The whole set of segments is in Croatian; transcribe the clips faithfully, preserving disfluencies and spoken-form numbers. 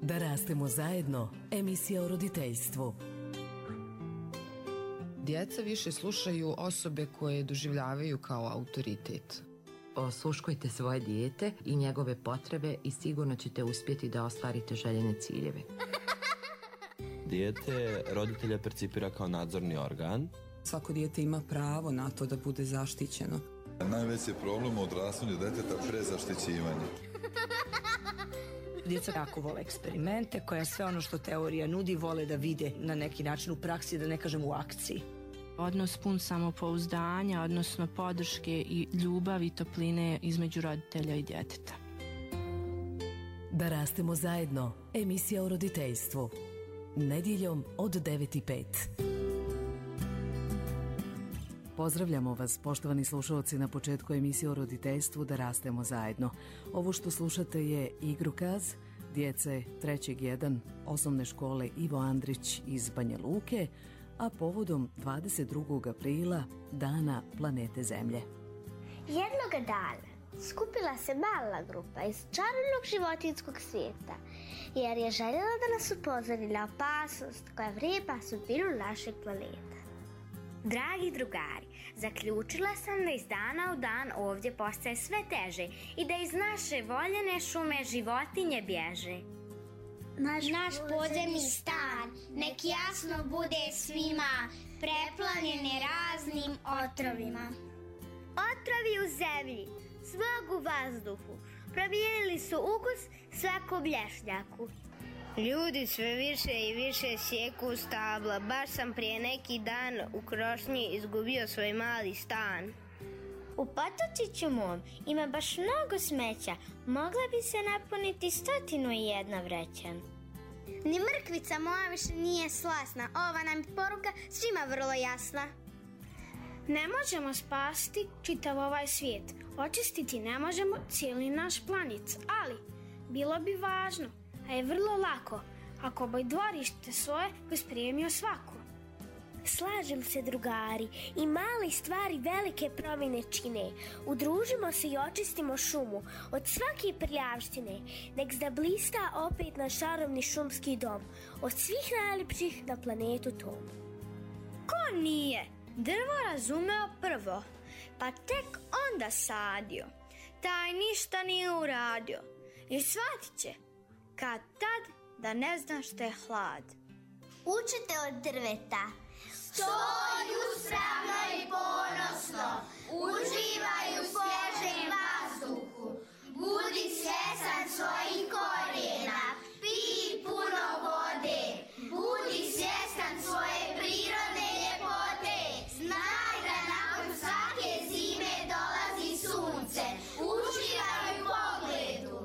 Da rastemo zajedno, emisija o roditeljstvu. Djeca više slušaju osobe koje doživljavaju kao autoritet. Osluškujte svoje dijete i njegove potrebe i sigurno ćete uspjeti da ostvarite željene ciljeve. Dijete roditelja percipira kao nadzorni organ. Svako dijete ima pravo na to da bude zaštićeno. Najveći problem u odrastanju djeteta prezaštićivanje. Djeca jako vole eksperimente, koja sve ono što teorija nudi vole da vide na neki način u praksi, da ne kažem u akciji. Odnos pun samopouzdanja, odnosno podrške i ljubavi i topline između roditelja i djeteta. Da rastemo zajedno, emisija o roditeljstvu. Nedjeljom od devet i pet. Pozdravljamo vas, poštovani slušalci, na početku emisije o roditeljstvu Da rastemo zajedno. Ovo što slušate je igrokaz djece trećeg jedan osnovne škole Ivo Andrić iz Banja Luke, a povodom dvadeset drugog aprila, Dana planete Zemlje. Jednoga dana skupila se mala grupa iz čarobnog životinjskog svijeta, jer je željela da nas upozori na opasnost koja vreba sudbinu našeg planeta. Dragi drugari, zaključila sam da iz dana u dan ovdje postaje sve teže i da iz naše voljene šume životinje bježe. Naš, Naš podzemni stan nek jasno bude svima, preplavljeni raznim otrovima. Otrovi u zemlji, smog u vazduhu, promijenili su ukus svakom lješnjaku. Ljudi sve više i više sjeku stabla. Baš sam prije neki dan u Krošnji izgubio svoj mali stan. U potočiću mom ima baš mnogo smeća. Mogla bi se napuniti stotinu i jedna vreća. Ni mrkvica moja više nije slasna. Ova nam je poruka svima vrlo jasna. Ne možemo spasiti čitav ovaj svijet. Očistiti ne možemo cijeli naš planet. Ali bilo bi važno, a je vrlo lako, ako bi dvorište svoje pospremio svako. Slažem se, drugari, i mali stvari velike promjene čine. Udružimo se i očistimo šumu od svake prljavštine. Nek zablista opet naš čarobni šumski dom, od svih najljepših na planetu tom. Ko nije drvo razumeo prvo, pa tek onda sadio, taj ništa nije uradio i shvatit će kad tad da ne zna što je hlad. Učite od drveta. Stoj uspravno i ponosno, uživaj u svježem vazduhu, budi svjestan svojih korijena, pij puno vode, budi svjestan svoje prirodne ljepote, znaj da nakon svake zime dolazi sunce, uživaj u pogledu.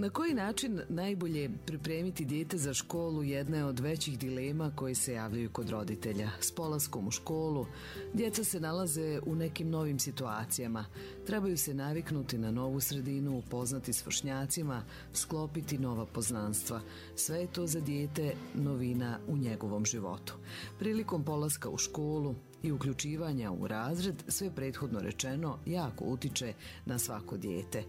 Na koji način najbolje pripremiti dijete za školu jedna je od većih dilema koje se javljaju kod roditelja. S polaskom u školu djeca se nalaze u nekim novim situacijama. Trebaju se naviknuti na novu sredinu, upoznati s vršnjacima, sklopiti nova poznanstva. Sve je to za dijete novina u njegovom životu. Prilikom polaska u školu i uključivanja u razred, sve prethodno rečeno jako utiče na svako dijete.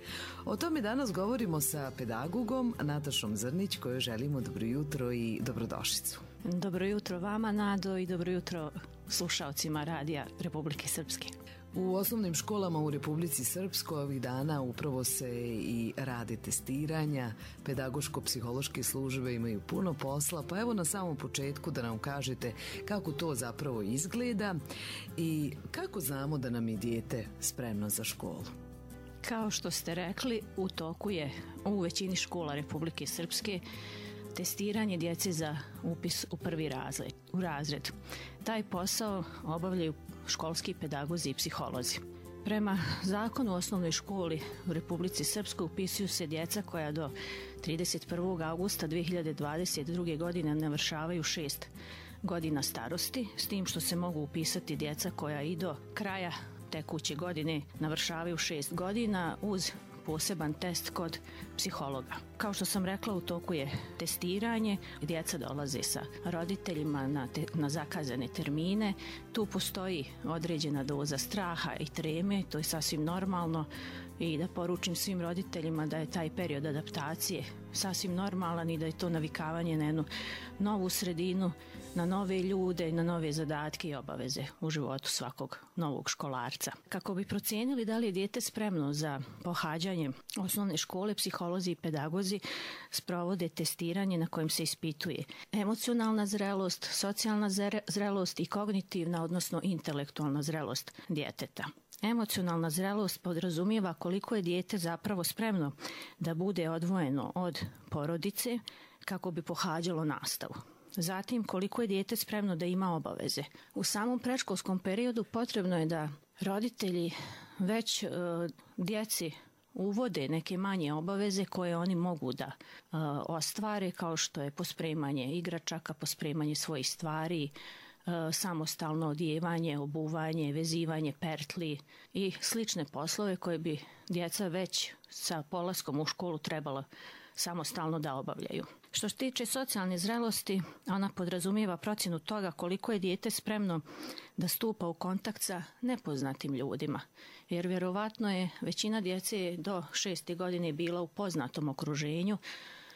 O tome danas govorimo sa pedagogom Natašom Zrnić, kojoj želimo dobro jutro i dobrodošlicu. Dobro jutro vama, Nado, i dobro jutro slušaocima Radija Republike Srpske. U osnovnim školama u Republici Srpskoj ovih dana upravo se i rade testiranja, pedagoško-psihološke službe imaju puno posla, pa evo na samom početku da nam kažete kako to zapravo izgleda i kako znamo da nam je dijete spremno za školu. Kao što ste rekli, u toku je u većini škola Republike Srpske testiranje djece za upis u prvi razred, u razred. Taj posao obavljaju školski pedagozi i psiholozi. Prema zakonu o osnovnoj školi u Republici Srpskoj upisuju se djeca koja do trideset prvog augusta dve hiljade dvadeset druge. godine navršavaju šest godina starosti, s tim što se mogu upisati djeca koja i do kraja tekuće godine navršavaju šest godina uz poseban test kod psihologa. Kao što sam rekla, u toku je testiranje, djeca dolaze sa roditeljima na, te, na zakazane termine. Tu postoji određena doza straha i treme, to je sasvim normalno, i da poručim svim roditeljima da je taj period adaptacije sasvim normalan i da je to navikavanje na jednu novu sredinu, na nove ljude i na nove zadatke i obaveze u životu svakog novog školarca. Kako bi procijenili da li je dijete spremno za pohađanje osnovne škole, psiholozi i pedagozi sprovode testiranje na kojem se ispituje emocionalna zrelost, socijalna zrelost i kognitivna, odnosno intelektualna zrelost djeteta. Emocionalna zrelost podrazumijeva koliko je dijete zapravo spremno da bude odvojeno od porodice kako bi pohađalo nastavu. Zatim, koliko je dijete spremno da ima obaveze. U samom predškolskom periodu potrebno je da roditelji već e, djeci uvode neke manje obaveze koje oni mogu da e, ostvare, kao što je pospremanje igračaka, pospremanje svojih stvari, samostalno odjevanje, obuvanje, vezivanje pertli i slične poslove koje bi djeca već sa polaskom u školu trebalo samostalno da obavljaju. Što se tiče socijalne zrelosti, ona podrazumijeva procjenu toga koliko je dijete spremno da stupa u kontakt sa nepoznatim ljudima, jer vjerovatno je većina djece do šeste godine bila u poznatom okruženju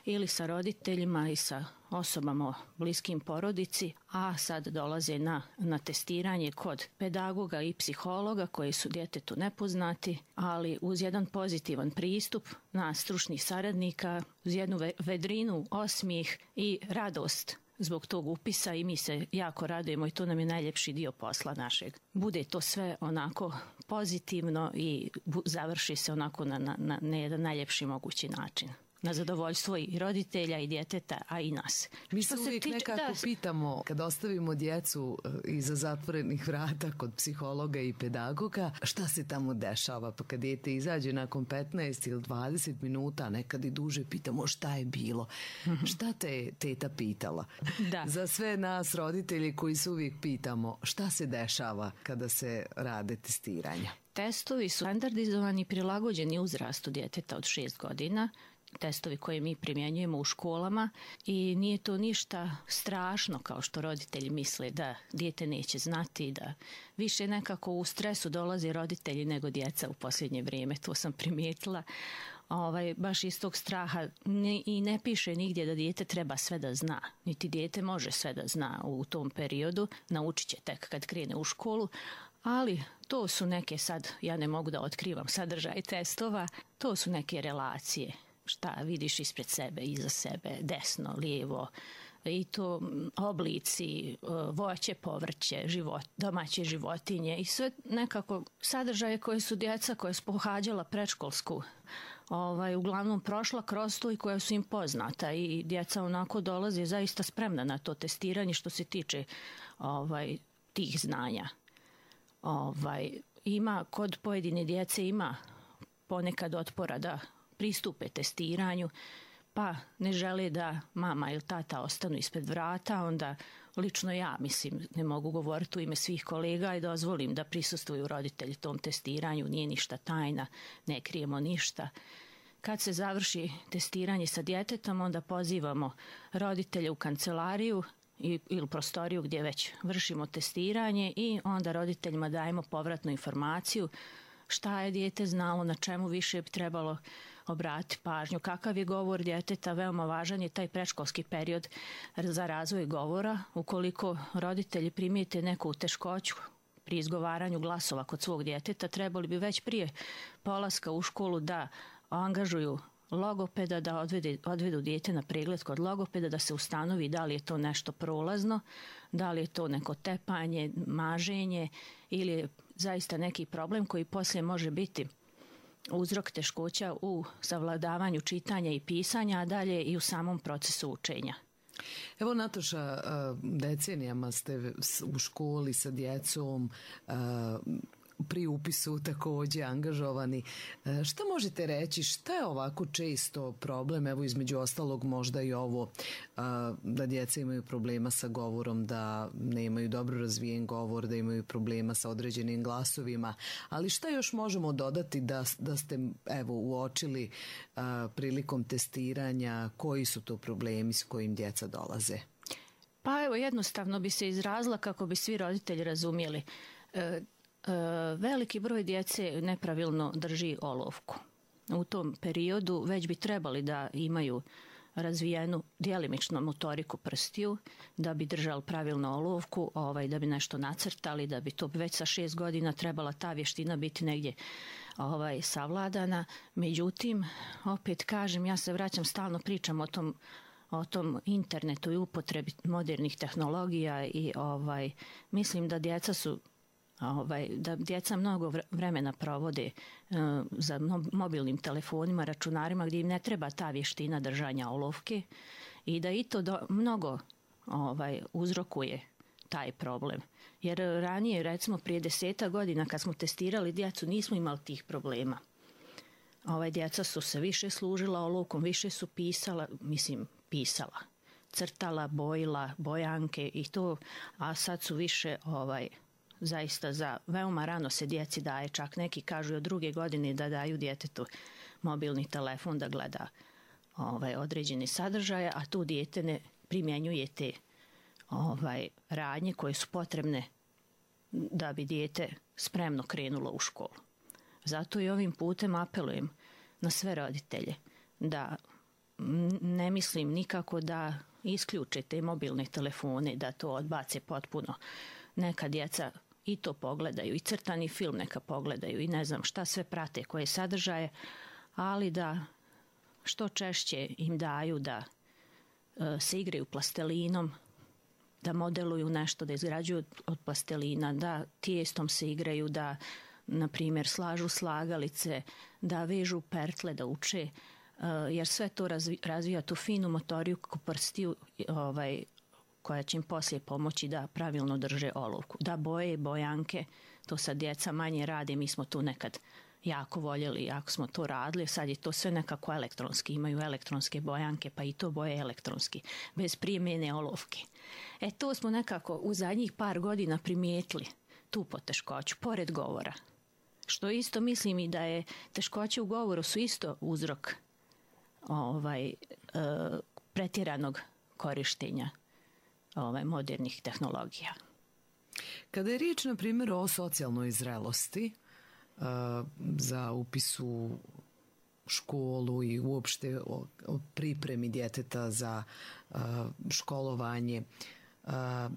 ili sa roditeljima i sa osobama bliskim porodici, a sad dolaze na, na testiranje kod pedagoga i psihologa koji su djetetu nepoznati, ali uz jedan pozitivan pristup nas stručnih saradnika, uz jednu vedrinu, osmijeh i radost zbog tog upisa, i mi se jako radujemo i to nam je najljepši dio posla našeg. Bude to sve onako pozitivno i završi se onako na, na, na, na jedan najljepši mogući način, na zadovoljstvo i roditelja i djeteta, a i nas. Mi se uvijek tiče, nekako da, pitamo, kad ostavimo djecu iza zatvorenih vrata kod psihologa i pedagoga, šta se tamo dešava? Pa kad dijete izađe nakon petnaest ili dvadeset minuta, nekad i duže, pitamo šta je bilo. Mm-hmm. Šta te je teta pitala? Da. Za sve nas roditelji koji se uvijek pitamo šta se dešava kada se rade testiranja. Testovi su standardizovani i prilagođeni uzrastu djeteta od šest godina, testovi koje mi primjenjujemo u školama, i nije to ništa strašno kao što roditelji misle da dijete neće znati, da više nekako u stresu dolaze roditelji nego djeca u posljednje vrijeme, to sam primijetila. Ovaj, baš iz tog straha ne, i ne piše nigdje da dijete treba sve da zna, niti dijete može sve da zna u tom periodu, naučit će tek kad krene u školu, ali to su neke, sad ja ne mogu da otkrivam sadržaj testova, to su neke relacije. Šta vidiš ispred sebe, iza sebe, desno, lijevo, i to oblici, voće, povrće, život, domaće životinje i sve nekako sadržaje koje su djeca koja su pohađala predškolsku ovaj, uglavnom prošla kroz to i koja su im poznata, i djeca onako dolaze zaista spremna na to testiranje što se tiče ovaj, tih znanja. Ovaj, ima, kod pojedine djece ima ponekad otpora da pristupe testiranju, pa ne žele da mama ili tata ostanu ispred vrata, onda lično ja, mislim, ne mogu govoriti u ime svih kolega i dozvolim da prisustvuju roditelji tom testiranju, nije ništa tajna, ne krijemo ništa. Kad se završi testiranje sa djetetom, onda pozivamo roditelje u kancelariju i, ili prostoriju gdje već vršimo testiranje, i onda roditeljima dajemo povratnu informaciju šta je dijete znalo, na čemu više bi trebalo obratiti pažnju, kakav je govor djeteta. Veoma važan je taj predškolski period za razvoj govora. Ukoliko roditelji primijete neku teškoću pri izgovaranju glasova kod svog djeteta, trebali bi već prije polaska u školu da angažuju logopeda, da odvede, odvedu dijete na pregled kod logopeda, da se ustanovi da li je to nešto prolazno, da li je to neko tepanje, maženje ili je zaista neki problem koji poslije može biti uzrok teškoća u savladavanju čitanja i pisanja, a dalje i u samom procesu učenja. Evo, Nataša, decenijama ste u školi sa djecom. pri upisu takođe angažovani. Šta možete reći, šta je ovako često problem, evo između ostalog možda i ovo, da djeca imaju problema sa govorom, da nemaju dobro razvijen govor, da imaju problema sa određenim glasovima, ali šta još možemo dodati da, da ste evo uočili a, prilikom testiranja, koji su to problemi s kojim djeca dolaze? Pa evo, jednostavno bi se izrazila kako bi svi roditelji razumjeli. E, e, veliki broj djece nepravilno drži olovku. U tom periodu već bi trebali da imaju razvijenu djelimičnu motoriku prstiju, da bi držali pravilno olovku, ovaj, da bi nešto nacrtali, da bi to već sa šest godina trebala ta vještina biti negdje ovaj, savladana. Međutim, opet kažem, ja se vraćam, stalno pričam o tom o tom internetu i upotrebi modernih tehnologija i ovaj mislim da djeca su ovaj da djeca mnogo vremena provode uh, za mobilnim telefonima, računarima gdje im ne treba ta vještina držanja olovke i da i to do, mnogo ovaj uzrokuje taj problem. Jer ranije, recimo prije deseta godina kad smo testirali djecu, nismo imali tih problema. Ovaj djeca su se više služila olovkom, više su pisala, mislim pisala, crtala, bojila, bojanke i to, a sad su više ovaj zaista za veoma rano se djeci daje, čak neki kažu od druge godine da daju djetetu mobilni telefon da gleda ovaj određeni sadržaje, a tu dijete ne primjenjuje te ovaj radnje koje su potrebne da bi dijete spremno krenulo u školu. Zato i ovim putem apelujem na sve roditelje da ne mislim nikako da isključe te mobilne telefone, da to odbace potpuno. Neka djeca i to pogledaju, i crtani film neka pogledaju i ne znam šta sve prate, koje sadržaje, ali da što češće im daju da e, se igraju plastelinom, da modeluju nešto, da izgrađuju od plastelina, da tijestom se igraju, da na primjer slažu slagalice, da vežu pertle, da uče, jer sve to razvija tu finu motoriku prstiju ovaj, koja će im poslije pomoći da pravilno drže olovku. Da boje bojanke, to sad djeca manje rade, mi smo tu nekad jako voljeli, jako smo to radili, sad je to sve nekako elektronski, imaju elektronske bojanke, pa i to boje elektronski, bez primjene olovke. E to smo nekako u zadnjih par godina primijetili, tu poteškoću, pored govora. Što isto mislim i da je teškoće u govoru su isto uzrok ovaj, e, pretjeranog korištenja ovaj, modernih tehnologija. Kada je riječ, na primjer, o socijalnoj zrelosti e, za upis u školu i uopšte o, o pripremi djeteta za e, školovanje,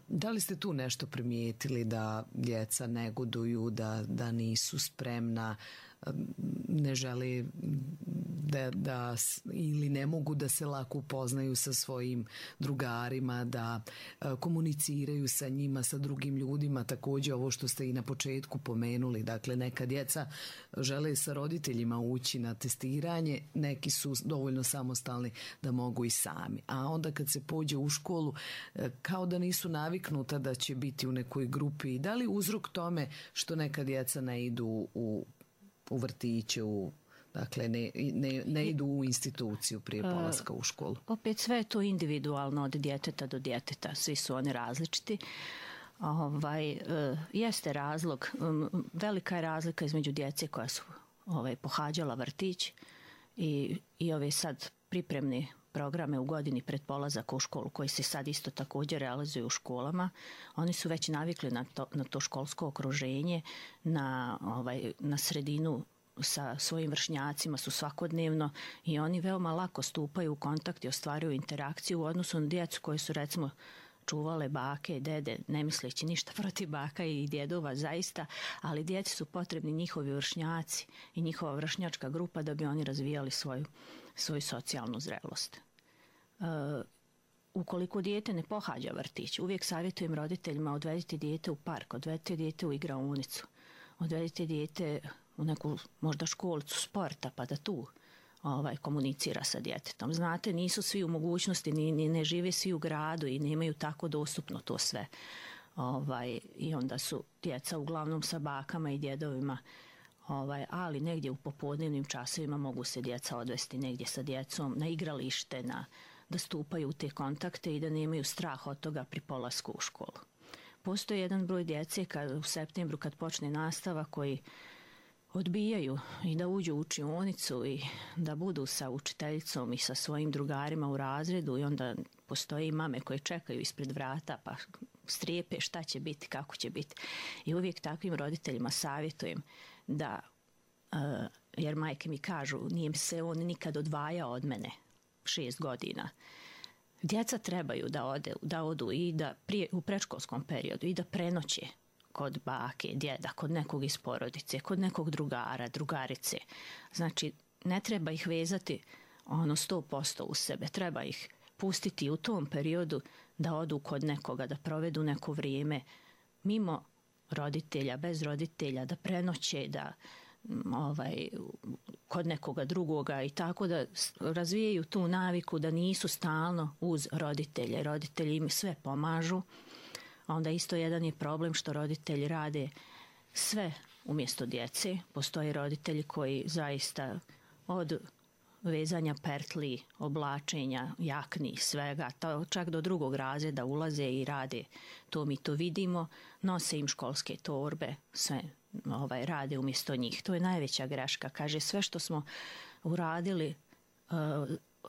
da li ste tu nešto primijetili da djeca negoduju, da, da nisu spremna, ne žele da, da ili ne mogu da se lako upoznaju sa svojim drugarima, da komuniciraju sa njima, sa drugim ljudima, također ovo što ste i na početku pomenuli, dakle neka djeca žele sa roditeljima ući na testiranje, neki su dovoljno samostalni da mogu i sami, a onda kad se pođe u školu kao da nisu naviknuta da će biti u nekoj grupi. Da li uzrok tome što neka djeca ne idu u, u vrtiće, u, dakle ne, ne, ne idu u instituciju prije polaska u školu? Opet sve je to individualno od djeteta do djeteta, svi su oni različiti. Ovaj, jeste razlog, velika je razlika između djece koja su ovaj, pohađala vrtić i, i ove sad pripremne programe u godini pred polazak u školu koji se sad isto također realizuju u školama. Oni su već navikli na to, na to školsko okruženje, na, ovaj, na sredinu sa svojim vršnjacima su svakodnevno i oni veoma lako stupaju u kontakt i ostvaruju interakciju u odnosu na djecu koji su recimo čuvale bake i dede, ne misleći ništa protiv baka i djedova zaista, ali djeci su potrebni njihovi vršnjaci i njihova vršnjačka grupa da bi oni razvijali svoju, svoju socijalnu zrelost. Uh, ukoliko dijete ne pohađa vrtić, uvijek savjetujem roditeljima odvedite dijete u park, odvedite dijete u igraonicu, odvedite dijete u neku možda školicu sporta pa da tu ovaj, komunicira sa djetetom. Znate, nisu svi u mogućnosti, ni, ni ne žive svi u gradu i nemaju tako dostupno to sve. ovaj, i onda su djeca uglavnom sa bakama i djedovima, ovaj, ali negdje u popodnevnim časovima mogu se djeca odvesti negdje sa djecom na igralište, na, da stupaju u te kontakte i da nemaju strah od toga pri polasku u školu. Postoji jedan broj djece kad, u septembru kad počne nastava koji odbijaju i da uđu u učionicu i da budu sa učiteljicom i sa svojim drugarima u razredu i onda postoje i mame koje čekaju ispred vrata pa strijepe šta će biti, kako će biti. I uvijek takvim roditeljima savjetujem da, uh, jer majke mi kažu, nije se on nikad odvajao od mene šest godina. Djeca trebaju da, ode, da odu i da prije, u predškolskom periodu i da prenoće kod bake, djeda, kod nekog iz porodice, kod nekog drugara, drugarice. Znači, ne treba ih vezati ono sto posto u sebe. Treba ih pustiti u tom periodu da odu kod nekoga, da provedu neko vrijeme mimo roditelja, bez roditelja, da prenoće, da ovaj, kod nekoga drugoga i tako da razvijaju tu naviku da nisu stalno uz roditelje. Roditelji im sve pomažu. A onda isto jedan je problem što roditelji rade sve umjesto djece. Postoje roditelji koji zaista od vezanja pertli, oblačenja, jakni, svega, to čak do drugog razreda ulaze i rade. To mi to vidimo, nose im školske torbe, sve ovaj, rade umjesto njih. To je najveća greška. Kaže, sve što smo uradili uh,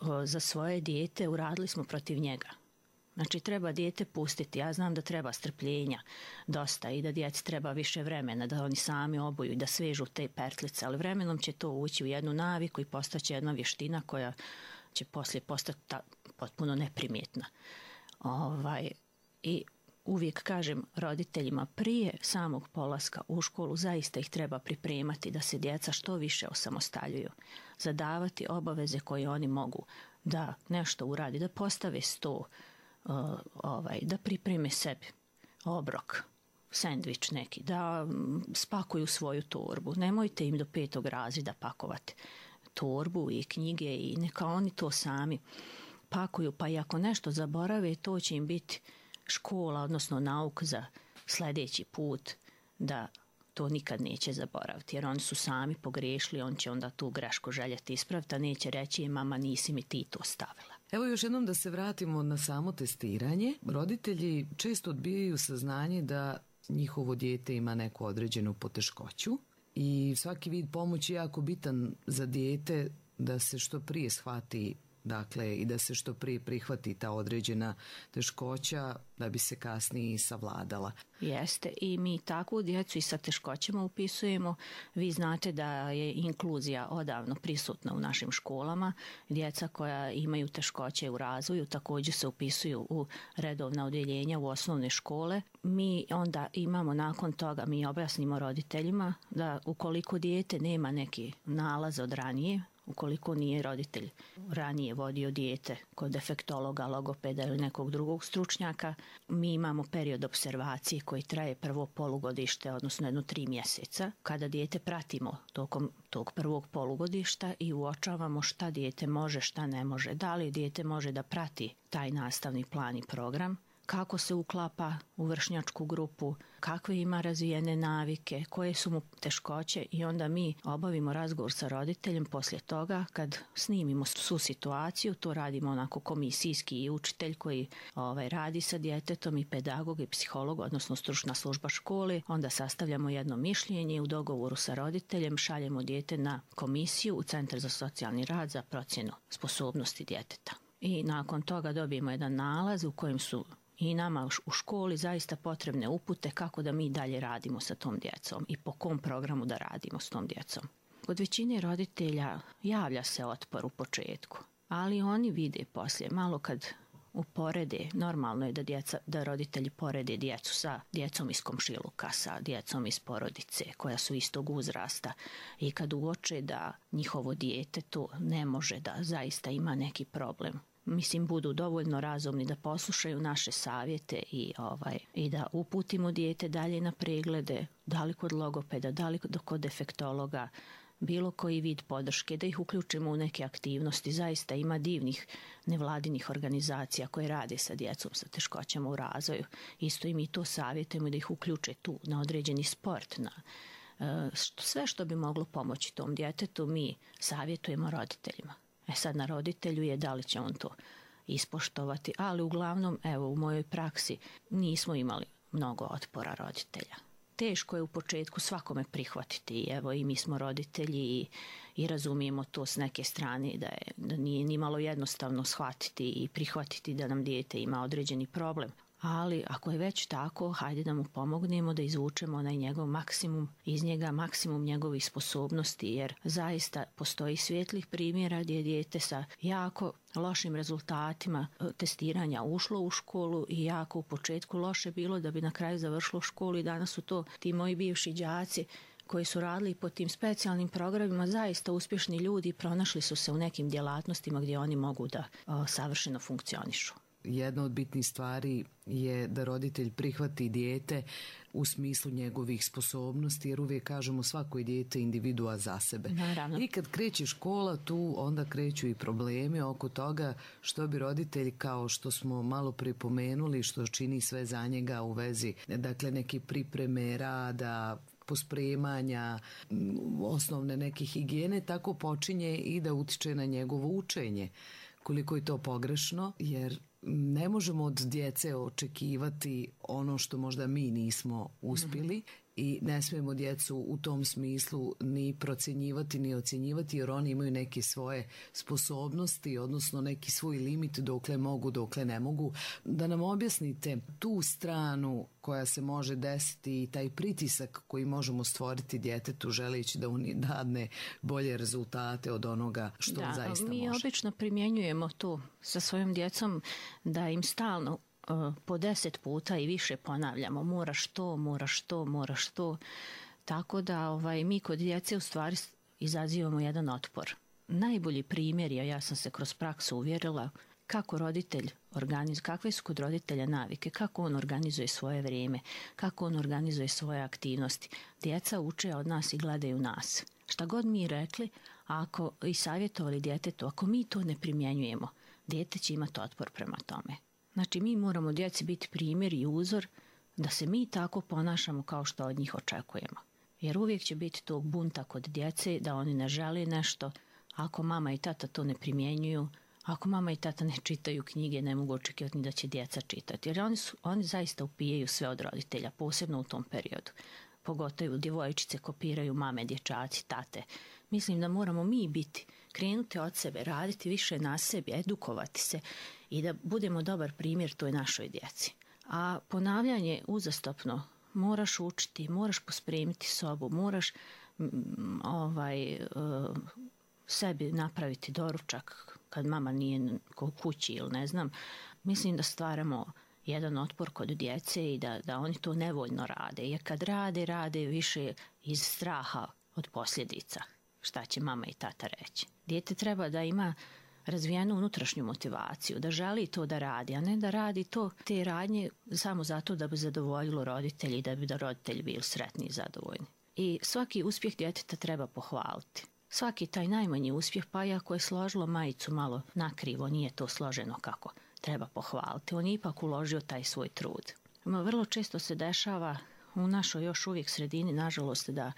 uh, za svoje dijete, uradili smo protiv njega. Znači, treba dijete pustiti. Ja znam da treba strpljenja dosta i da djeci treba više vremena, da oni sami obuju i da svežu te pertlice, ali vremenom će to ući u jednu naviku i postaće jedna vještina koja će poslije postati ta, potpuno neprimjetna. Ovaj, I uvijek kažem roditeljima prije samog polaska u školu zaista ih treba pripremati da se djeca što više osamostaljuju, zadavati obaveze koje oni mogu, da nešto uradi, da postave sto, Uh, ovaj, da pripreme sebi obrok, sendvič neki, da um, spakuju svoju torbu. Nemojte im do petog razreda pakovati torbu i knjige i neka oni to sami pakuju, pa i ako nešto zaborave, to će im biti škola, odnosno nauk za sljedeći put, da to nikad neće zaboraviti, jer oni su sami pogriješili, on će onda tu grešku željeti ispraviti, a neće reći, mama, nisi mi ti to stavila. Evo još jednom da se vratimo na samo testiranje. Roditelji često odbijaju saznanje da njihovo dijete ima neku određenu poteškoću i svaki vid pomoći je jako bitan za dijete da se što prije shvati, dakle, i da se što prije prihvati ta određena teškoća da bi se kasnije savladala. Jeste, i mi takvu djecu i sa teškoćama upisujemo. Vi znate da je inkluzija odavno prisutna u našim školama. Djeca koja imaju teškoće u razvoju također se upisuju u redovna odjeljenja u osnovne škole. Mi onda imamo nakon toga, mi objasnimo roditeljima da ukoliko dijete nema neki nalaz od ranije, ukoliko nije roditelj ranije vodio dijete kod defektologa, logopeda ili nekog drugog stručnjaka, mi imamo period observacije koji traje prvo polugodište, odnosno jedno tri mjeseca, kada dijete pratimo tokom tog prvog polugodišta i uočavamo šta dijete može, šta ne može, da li dijete može da prati taj nastavni plan i program, kako se uklapa u vršnjačku grupu, kakve ima razvijene navike, koje su mu teškoće i onda mi obavimo razgovor sa roditeljem poslije toga kad snimimo svu situaciju, to radimo onako komisijski i učitelj koji ovaj, radi sa djetetom i pedagog i psiholog, odnosno stručna služba škole, onda sastavljamo jedno mišljenje u dogovoru sa roditeljem, šaljemo dijete na komisiju u Centar za socijalni rad za procjenu sposobnosti djeteta. I nakon toga dobijemo jedan nalaz u kojem su i nama u školi zaista potrebne upute kako da mi dalje radimo sa tom djecom i po kom programu da radimo s tom djecom. Kod većine roditelja javlja se otpor u početku, ali oni vide poslije, malo kad uporede, normalno je da, djeca, da roditelji porede djecu sa djecom iz komšiluka, sa djecom iz porodice koja su istog uzrasta i kad uoče da njihovo dijete to ne može, da zaista ima neki problem. Mislim, budu dovoljno razumni da poslušaju naše savjete i, ovaj, i da uputimo dijete dalje na preglede, da li kod logopeda, da li kod defektologa, bilo koji vid podrške, da ih uključimo u neke aktivnosti. Zaista ima divnih nevladinih organizacija koje rade sa djecom sa teškoćama u razvoju. Isto i mi to savjetujemo da ih uključe tu na određeni sport, na sve što bi moglo pomoći tom djetetu mi savjetujemo roditeljima. E sad na roditelju je da li će on to ispoštovati, ali uglavnom, evo, u mojoj praksi nismo imali mnogo otpora roditelja. Teško je u početku svakome prihvatiti, evo i mi smo roditelji i, i razumijemo to s neke strane da, je, da nije ni malo jednostavno shvatiti i prihvatiti da nam dijete ima određeni problem. Ali ako je već tako, hajde da mu pomognemo da izvučemo onaj njegov maksimum, iz njega maksimum njegovih sposobnosti, jer zaista postoji svijetlih primjera gdje je dijete sa jako lošim rezultatima testiranja ušlo u školu i jako u početku loše bilo da bi na kraju završilo školu i danas su to ti moji bivši đaci koji su radili po tim specijalnim programima, zaista uspješni ljudi, pronašli su se u nekim djelatnostima gdje oni mogu da o, savršeno funkcionišu. Jedna od bitnih stvari je da roditelj prihvati dijete u smislu njegovih sposobnosti, jer uvijek kažemo svako je dijete individua za sebe. Naravno. I kad kreće škola, tu onda kreću i problemi oko toga što bi roditelj, kao što smo malo pripomenuli, što čini sve za njega u vezi, dakle, neke pripreme, rada, pospremanja, osnovne neke higijene, tako počinje i da utiče na njegovo učenje. Koliko je to pogrešno, jer ne možemo od djece očekivati ono što možda mi nismo uspjeli i ne smijemo djecu u tom smislu ni procjenjivati ni ocjenjivati, jer oni imaju neke svoje sposobnosti, odnosno neki svoj limit dokle mogu, dokle ne mogu. Da nam objasnite tu stranu koja se može desiti i taj pritisak koji možemo stvoriti djetetu želeći da on dadne bolje rezultate od onoga što da, zaista mi može. Mi obično primjenjujemo to sa svojom djecom, da im stalno po deset puta i više ponavljamo moraš to, moraš to, moraš to. Tako da ovaj, mi kod djece u stvari izazivamo jedan otpor. Najbolji primjer je, ja sam se kroz praksu uvjerila, kako roditelj organizuje, kakve su kod roditelja navike, kako on organizuje svoje vrijeme, kako on organizuje svoje aktivnosti. Djeca uče od nas i gledaju nas. Šta god mi rekli, ako i savjetovali djetetu, ako mi to ne primjenjujemo, dijete će imati otpor prema tome. Znači, mi moramo djeci biti primjer i uzor da se mi tako ponašamo kao što od njih očekujemo. Jer uvijek će biti tog bunta kod djece da oni ne žele nešto. Ako mama i tata to ne primjenjuju, ako mama i tata ne čitaju knjige, ne mogu očekivati da će djeca čitati. Jer oni, su, oni zaista upijaju sve od roditelja, posebno u tom periodu. Pogotovo djevojčice kopiraju mame, dječaci, tate. Mislim da moramo mi biti, krenuti od sebe, raditi više na sebi, edukovati se i da budemo dobar primjer toj našoj djeci. A ponavljanje uzastopno, moraš učiti, moraš pospremiti sobu, moraš m, ovaj, uh, sebi napraviti doručak kad mama nije kod kući ili ne znam. Mislim da stvaramo jedan otpor kod djece i da, da oni to nevoljno rade. Jer kad rade, rade više iz straha od posljedica. Šta će mama i tata reći? Dijete treba da ima razvijenu unutrašnju motivaciju, da želi to da radi, a ne da radi to te radnje samo zato da bi zadovoljilo roditelji i da bi da roditelji bili sretni i zadovoljni. I svaki uspjeh djeteta treba pohvaliti. Svaki taj najmanji uspjeh, pa i ako je složilo majicu malo nakrivo, nije to složeno kako treba pohvaliti. On je ipak uložio taj svoj trud. Vrlo često se dešava u našoj još uvijek sredini, nažalost, da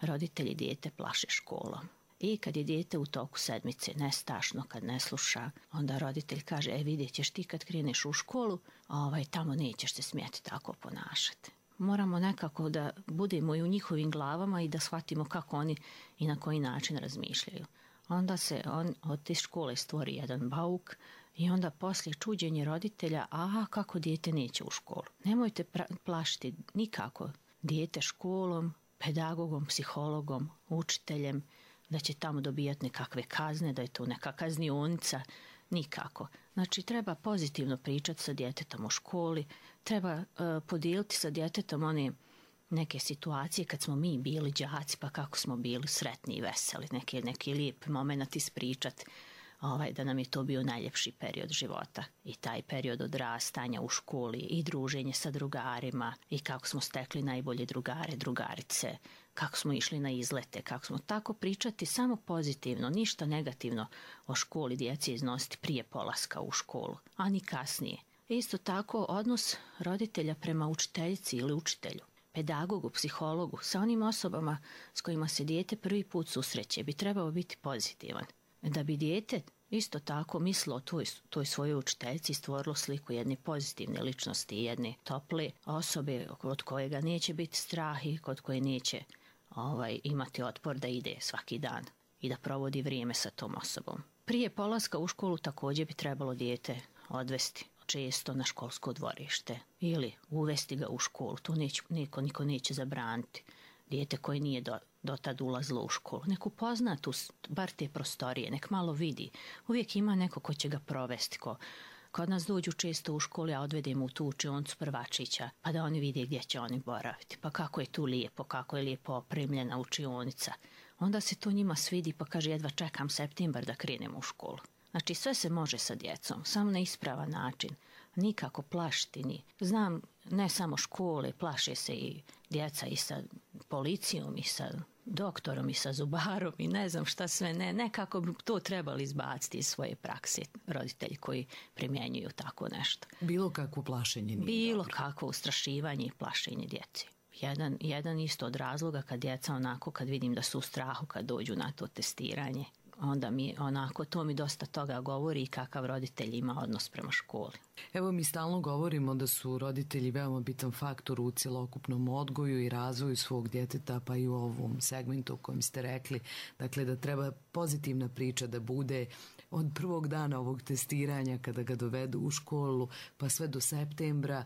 roditelji dijete plaše školom. I kad je dijete u toku sedmice nestašno, kad ne sluša, onda roditelj kaže, e vidjet ćeš ti kad kreneš u školu, ovaj, tamo nećeš se smjeti tako ponašati. Moramo nekako da budemo i u njihovim glavama i da shvatimo kako oni i na koji način razmišljaju. Onda se on, od te škole stvori jedan bauk i onda poslije čuđenje roditelja, aha, kako dijete neće u školu. Nemojte pra- plašiti nikako dijete školom, pedagogom, psihologom, učiteljem, da će tamo dobijati nekakve kazne, da je to neka kaznionica, nikako. Znači, treba pozitivno pričati sa djetetom u školi, treba uh, podijeliti sa djetetom one neke situacije kad smo mi bili đaci, pa kako smo bili sretni i veseli, neke, neke lijepe moment ispričati, ovaj, da nam je to bio najljepši period života. I taj period odrastanja u školi i druženje sa drugarima i kako smo stekli najbolje drugare, drugarice, kako smo išli na izlete, kako smo tako pričati samo pozitivno, ništa negativno o školi djeci iznositi prije polaska u školu, a ni kasnije. Isto tako odnos roditelja prema učiteljici ili učitelju, pedagogu, psihologu, sa onim osobama s kojima se dijete prvi put susreće bi trebao biti pozitivan. Da bi dijete isto tako mislilo o toj, toj svojoj učiteljici i stvorilo sliku jedne pozitivne ličnosti, jedne tople osobe od kojega neće biti strah i kod koje neće ovaj, imati otpor da ide svaki dan i da provodi vrijeme sa tom osobom. Prije polaska u školu također bi trebalo dijete odvesti često na školsko dvorište ili uvesti ga u školu. To neće, niko, niko neće zabraniti. Dijete koje nije do, do tad ulazilo u školu. Nek upozna tu, bar te prostorije, nek malo vidi. Uvijek ima neko ko će ga provesti. Ko, kod nas dođu često u školi, a odvedemo u tu učioncu prvačića, pa da oni vide gdje će oni boraviti. Pa kako je tu lijepo, kako je lijepo opremljena učionica. Onda se to njima svidi pa kaže jedva čekam septembar da krenemo u školu. Znači sve se može sa djecom, samo na ispravan način. Nikako plašiti ni. Znam, ne samo škole, plaše se i djeca i sa policijom i sa doktorom i sa zubarom i ne znam šta sve ne. Nekako bi to trebali izbaciti iz svoje prakse roditelji koji primjenjuju tako nešto. Bilo kakvo plašenje nije Bilo dobro. kakvo ustrašivanje i plašenje djece. Jedan, jedan isto od razloga kad djeca onako, kad vidim da su u strahu kad dođu na to testiranje, onda mi onako, to mi dosta toga govori i kakav roditelj ima odnos prema školi. Evo mi stalno govorimo da su roditelji veoma bitan faktor u cjelokupnom odgoju i razvoju svog djeteta, pa i u ovom segmentu o kojem ste rekli. Dakle, da treba pozitivna priča da bude od prvog dana ovog testiranja kada ga dovedu u školu pa sve do septembra,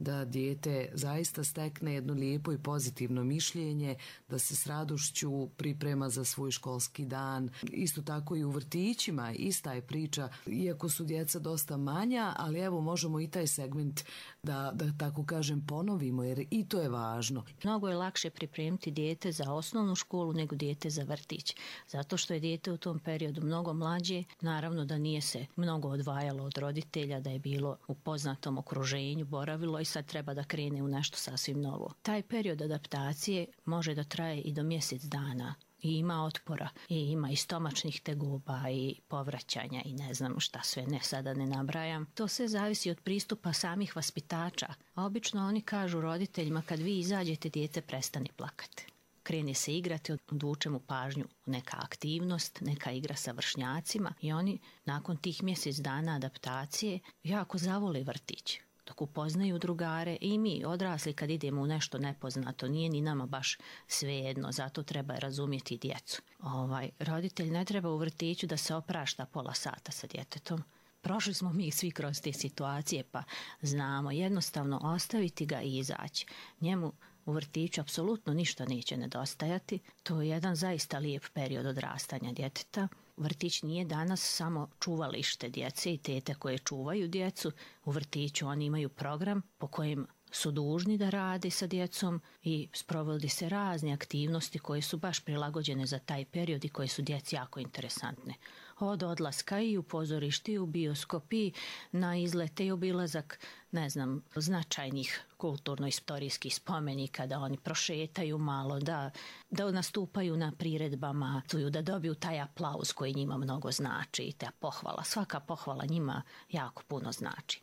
da dijete zaista stekne jedno lijepo i pozitivno mišljenje, da se s radošću priprema za svoj školski dan. Isto tako i u vrtićima, ista je priča, iako su djeca dosta manja, ali evo možemo i taj segment da, da tako kažem ponovimo, jer i to je važno. Mnogo je lakše pripremiti dijete za osnovnu školu nego dijete za vrtić, zato što je dijete u tom periodu mnogo mlađe, naravno da nije se mnogo odvajalo od roditelja, da je bilo u poznatom okruženju, boravilo i sad treba da krene u nešto sasvim novo. Taj period adaptacije može da traje i do mjesec dana i ima otpora i ima i stomačnih tegoba i povraćanja i ne znam šta sve, ne sada ne nabrajam. To sve zavisi od pristupa samih vaspitača. A obično oni kažu roditeljima kad vi izađete dijete prestani plakati. Krene se igrati, odvuče mu pažnju neka aktivnost, neka igra sa vršnjacima i oni nakon tih mjesec dana adaptacije jako zavole vrtić. Dok upoznaju drugare i mi odrasli kad idemo u nešto nepoznato, nije ni nama baš svejedno, zato treba razumjeti djecu. Ovaj, roditelj ne treba u vrtiću da se oprašta pola sata sa djetetom. Prošli smo mi svi kroz te situacije pa znamo, jednostavno ostaviti ga i izaći. Njemu u vrtiću apsolutno ništa neće nedostajati, to je jedan zaista lijep period odrastanja djeteta. Vrtić nije danas samo čuvalište djece i tete koje čuvaju djecu. U vrtiću oni imaju program po kojem su dužni da rade sa djecom i sprovodi se razne aktivnosti koje su baš prilagođene za taj period i koje su djeci jako interesantne. Od odlaska i u pozorište i u bioskop i na izlete i obilazak, ne znam, značajnih kulturno-istorijskih spomenika, da oni prošetaju malo, da, da nastupaju na priredbama, da dobiju taj aplauz koji njima mnogo znači i ta pohvala. Svaka pohvala njima jako puno znači.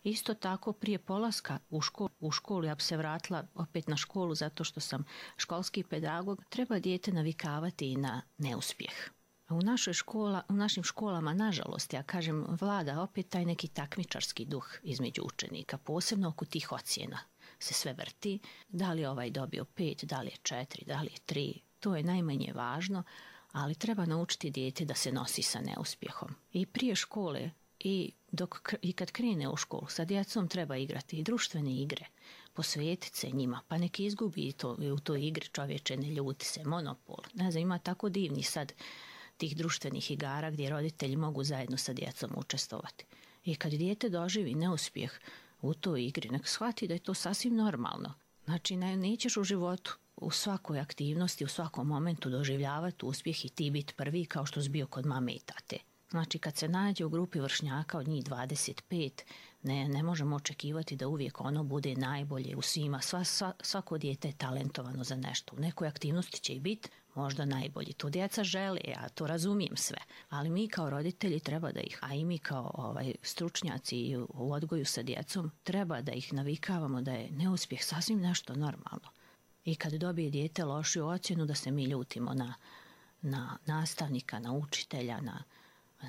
Isto tako prije polaska u školu, u školu ja bi se vratila opet na školu zato što sam školski pedagog, treba dijete navikavati i na neuspjeh. U, našoj škola, u našim školama, nažalost, ja kažem, vlada opet taj neki takmičarski duh između učenika, posebno oko tih ocjena se sve vrti, da li je ovaj dobio pet, da li je četiri, da li je tri, to je najmanje važno, ali treba naučiti dijete da se nosi sa neuspjehom. I prije škole i, dok, i kad krene u školu, sa djecom treba igrati i društvene igre, posvetiti se njima, pa neki izgubi to, u toj igri čovječe, ne ljuti se, monopol. Ne znam, ima tako divni sad tih društvenih igara gdje roditelji mogu zajedno sa djecom učestvovati. I kad dijete doživi neuspjeh u toj igri, nek shvati da je to sasvim normalno. Znači, ne, nećeš u životu u svakoj aktivnosti, u svakom momentu doživljavati uspjeh i ti biti prvi kao što si bio kod mame i tate. Znači kad se nađe u grupi vršnjaka od njih dvadeset pet, ne, ne možemo očekivati da uvijek ono bude najbolje u svima. Sva, sva, svako dijete je talentovano za nešto. U nekoj aktivnosti će i biti možda najbolji. To djeca žele, ja to razumijem sve. Ali mi kao roditelji treba da ih, a i mi kao ovaj, stručnjaci u odgoju sa djecom, treba da ih navikavamo da je neuspjeh sasvim nešto normalno. I kad dobije dijete lošiju ocjenu da se mi ljutimo na, na nastavnika, na učitelja, na...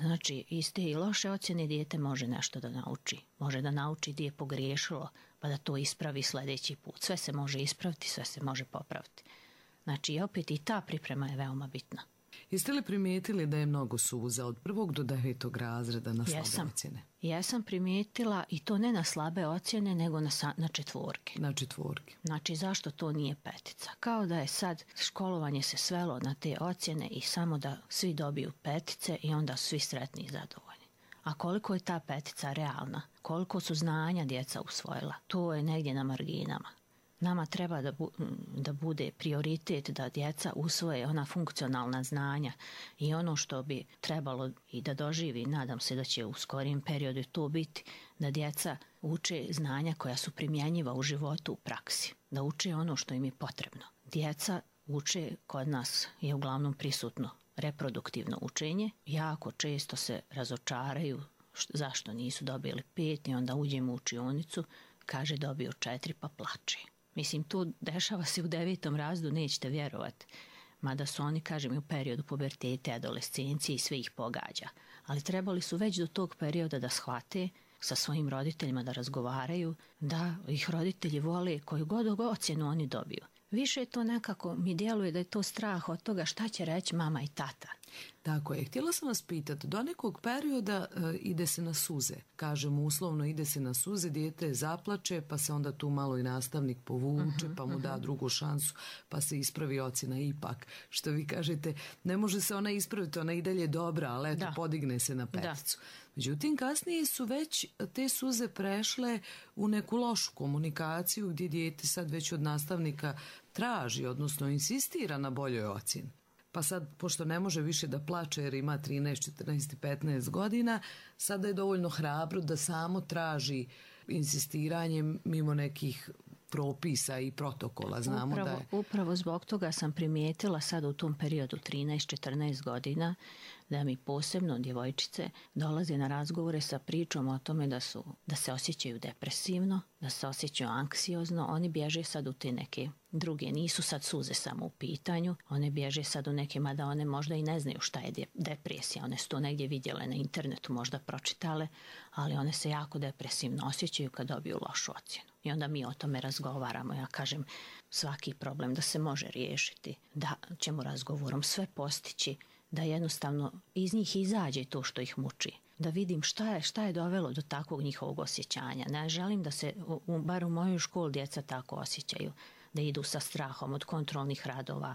Znači, iz te i loše ocjene dijete može nešto da nauči. Može da nauči gdje je pogriješilo, pa da to ispravi sljedeći put. Sve se može ispraviti, sve se može popraviti. Znači, opet i ta priprema je veoma bitna. Jeste li primijetili da je mnogo suza od prvog do devetog razreda na slabe Jesam. ocjene? Jesam primijetila i to ne na slabe ocjene, nego na, sa, na četvorke. Na četvorke. Znači, zašto to nije petica? Kao da je sad školovanje se svelo na te ocjene i samo da svi dobiju petice i onda su svi sretni i zadovoljni. A koliko je ta petica realna? Koliko su znanja djeca usvojila? To je negdje na marginama. Nama treba da, bu, da bude prioritet da djeca usvoje ona funkcionalna znanja i ono što bi trebalo i da doživi, nadam se da će u skorijem periodu to biti, da djeca uče znanja koja su primjenjiva u životu u praksi, da uče ono što im je potrebno. Djeca uče, kod nas je uglavnom prisutno reproduktivno učenje, jako često se razočaraju zašto nisu dobili pet i onda uđemo u učionicu, kaže dobio četiri pa plače. Mislim, to dešava se u devetom razredu, nećete vjerovati. Mada su oni, kažem, u periodu pubertete, adolescencije i sve ih pogađa. Ali trebali su već do tog perioda da shvate, sa svojim roditeljima da razgovaraju, da ih roditelji vole koju god ocjenu oni dobiju. Više to nekako mi djeluje da je to strah od toga šta će reći mama i tata. Tako je. Htjela sam vas pitati, do nekog perioda e, ide se na suze. Kažemo uslovno ide se na suze, dijete zaplače, pa se onda tu malo i nastavnik povuče, uh-huh, pa mu uh-huh. da drugu šansu, pa se ispravi ocjena ipak. Što vi kažete, ne može se ona ispraviti, ona i dalje dobra, ali eto, da. Podigne se na peticu. Da. Međutim, kasnije su već te suze prešle u neku lošu komunikaciju gdje dijete sad već od nastavnika traži, odnosno insistira na boljoj ocjeni. Pa sad, pošto ne može više da plače jer ima trinaest, četrnaest i petnaest godina, sada je dovoljno hrabro da samo traži insistiranjem mimo nekih propisa i protokola. Znamo upravo, da je... upravo zbog toga sam primijetila sad u tom periodu trinaest četrnaest godina da mi posebno djevojčice dolaze na razgovore sa pričom o tome da, su, da se osjećaju depresivno, da se osjećaju anksiozno. Oni bježe sad u te neke druge, nisu sad suze samo u pitanju, one bježe sad u neke, mada one možda i ne znaju šta je depresija, one su to negdje vidjele na internetu, možda pročitale, ali one se jako depresivno osjećaju kad dobiju lošu ocjenu. I onda mi o tome razgovaramo. Ja kažem, svaki problem da se može riješiti, da ćemo razgovorom sve postići, da jednostavno iz njih izađe to što ih muči. Da vidim šta je, šta je dovelo do takvog njihovog osjećanja. Ne želim da se, u, bar u mojoj školi, djeca tako osjećaju. Da idu sa strahom od kontrolnih radova.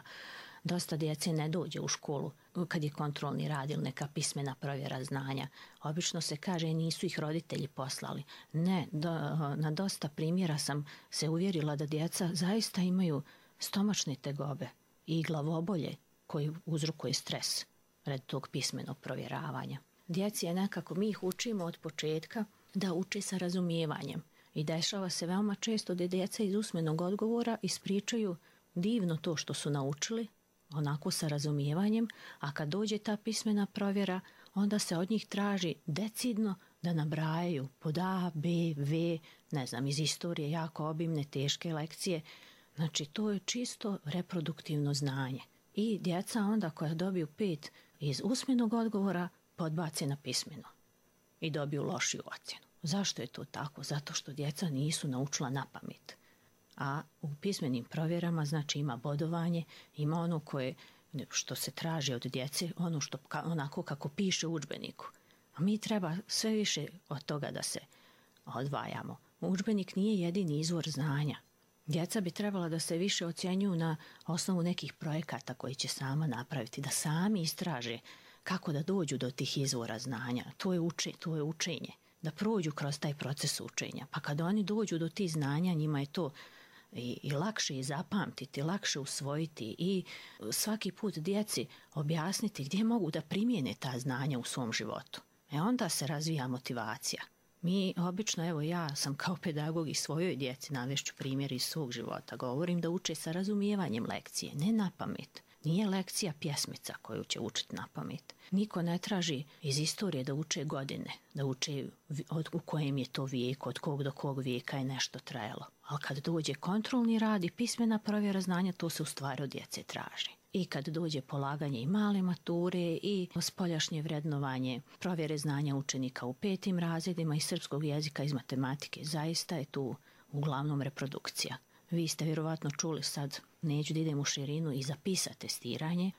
Dosta djece ne dođe u školu kad je kontrolni rad ili neka pismena provjera znanja. Obično se kaže nisu ih roditelji poslali. Ne, do, na dosta primjera sam se uvjerila da djeca zaista imaju stomačne tegobe i glavobolje koji uzrokuje stres red tog pismenog provjeravanja. Djeci je nekako, mi ih učimo od početka da uče sa razumijevanjem. I dešava se veoma često da djeca iz usmenog odgovora ispričaju divno to što su naučili, onako sa razumijevanjem, a kad dođe ta pismena provjera, onda se od njih traži decidno da nabrajaju pod A, B, V, ne znam, iz istorije jako obimne, teške lekcije. Znači, to je čisto reproduktivno znanje. I djeca onda koja dobiju pet iz usmenog odgovora podbace na pismeno i dobiju lošiju ocjenu. Zašto je to tako? Zato što djeca nisu naučila na pamet. A u pismenim provjerama znači ima bodovanje, ima ono koje što se traži od djece, ono što onako kako piše u udžbeniku. A mi treba sve više od toga da se odvajamo. Udžbenik nije jedini izvor znanja. Djeca bi trebala da se više ocjenjuju na osnovu nekih projekata koji će sama napraviti, da sami istraže kako da dođu do tih izvora znanja. To je, uče, to je učenje. Da prođu kroz taj proces učenja. Pa kada oni dođu do tih znanja, njima je to i, i lakše je zapamtiti, lakše usvojiti i svaki put djeci objasniti gdje mogu da primijene ta znanja u svom životu. E onda se razvija motivacija. Mi obično, evo ja sam kao pedagog i svojoj djeci, navešću primjer iz svog života, govorim da uče sa razumijevanjem lekcije, ne na pamet. Nije lekcija pjesmica koju će učiti na pamet. Niko ne traži iz istorije da uče godine, da uče od, u kojem je to vijek, od kog do kog vijeka je nešto trajalo. Ali kad dođe kontrolni rad i pismena provjera znanja, to se u stvari od djece traži. I kad dođe polaganje i male mature i spoljašnje vrednovanje provjere znanja učenika u petim razredima iz srpskog jezika, iz matematike, zaista je tu uglavnom reprodukcija. Vi ste vjerovatno čuli sad, neću da idem u širinu, i za PISA testiranje,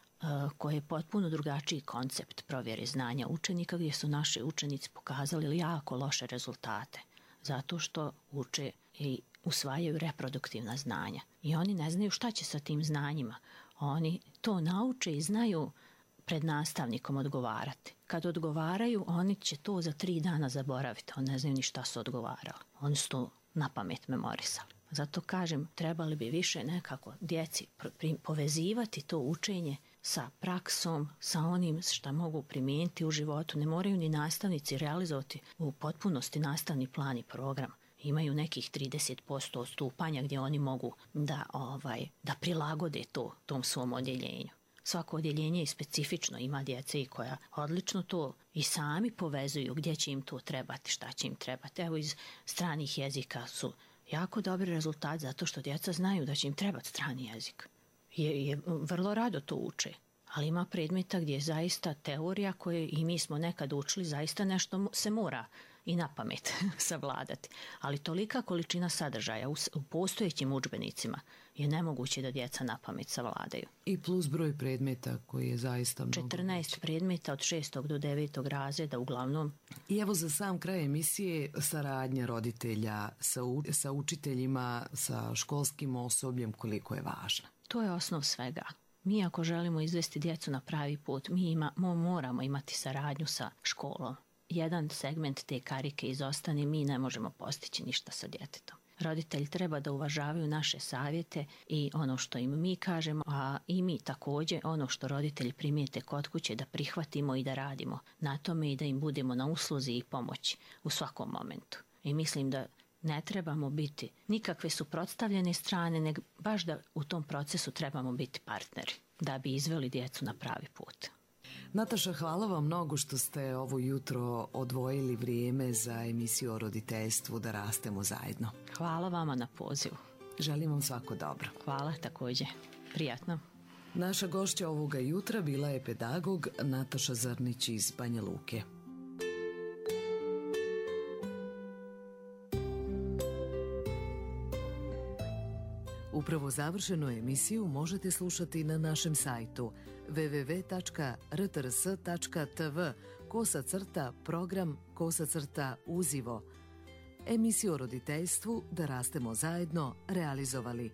koje je potpuno drugačiji koncept provjere znanja učenika, gdje su naši učenici pokazali jako loše rezultate, zato što uče i usvajaju reproduktivna znanja. I oni ne znaju šta će sa tim znanjima. Oni to nauče i znaju pred nastavnikom odgovarati. Kad odgovaraju, oni će to za tri dana zaboraviti. Oni ne znaju ni šta su odgovarali. Oni su to na pamet memorisali. Zato kažem, trebali bi više nekako djeci povezivati to učenje sa praksom, sa onim što mogu primijeniti u životu. Ne moraju ni nastavnici realizovati u potpunosti nastavni plan i program. Imaju nekih trideset posto odstupanja gdje oni mogu da, ovaj, da prilagode to tom svom odjeljenju. Svako odjeljenje je specifično, ima djece i koja odlično to i sami povezuju gdje će im to trebati, šta će im trebati. Evo iz stranih jezika su jako dobri rezultat zato što djeca znaju da će im trebati strani jezik. Je, je, vrlo rado to uče, ali ima predmeta gdje je zaista teorija koje i mi smo nekad učili, zaista nešto se mora i na pamet savladati. Ali tolika količina sadržaja u, u postojećim udžbenicima je nemoguće da djeca na pamet savladaju. I plus broj predmeta koji je zaista mnogo. četrnaest predmeta od šestog do devetog razreda uglavnom. I evo za sam kraj emisije saradnja roditelja sa, u, sa učiteljima, sa školskim osobljem, koliko je važna. To je osnov svega. Mi ako želimo izvesti djecu na pravi put, mi ima, moramo imati saradnju sa školom. Jedan segment te karike izostane, mi ne možemo postići ništa sa djetetom. Roditelji treba da uvažavaju naše savjete i ono što im mi kažemo, a i mi također ono što roditelji primijete kod kuće da prihvatimo i da radimo na tome i da im budemo na usluzi i pomoći u svakom momentu. I mislim da ne trebamo biti nikakve suprotstavljene strane, nego baš da u tom procesu trebamo biti partneri da bi izveli djecu na pravi put. Nataša, hvala vam mnogo što ste ovo jutro odvojili vrijeme za emisiju o roditeljstvu Da rastemo zajedno. Hvala vama na pozivu. Želim vam svako dobro. Hvala također. Prijatno. Naša gošća ovoga jutra bila je pedagog Nataša Zrnić iz Banja Luke. Upravo završenu emisiju možete slušati na našem sajtu w w w tačka r t r s tačka t v kosa crta program kosa crta uzivo. Emisiju o roditeljstvu Da rastemo zajedno realizovali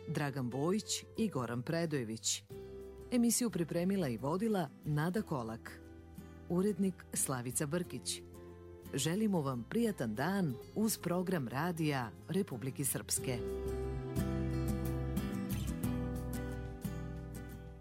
Dragan Bojić i Goran Predojević. Emisiju pripremila i vodila Nada Kolak. Urednik Slavica Brkić. Želimo vam prijatan dan uz program radija Republike Srpske.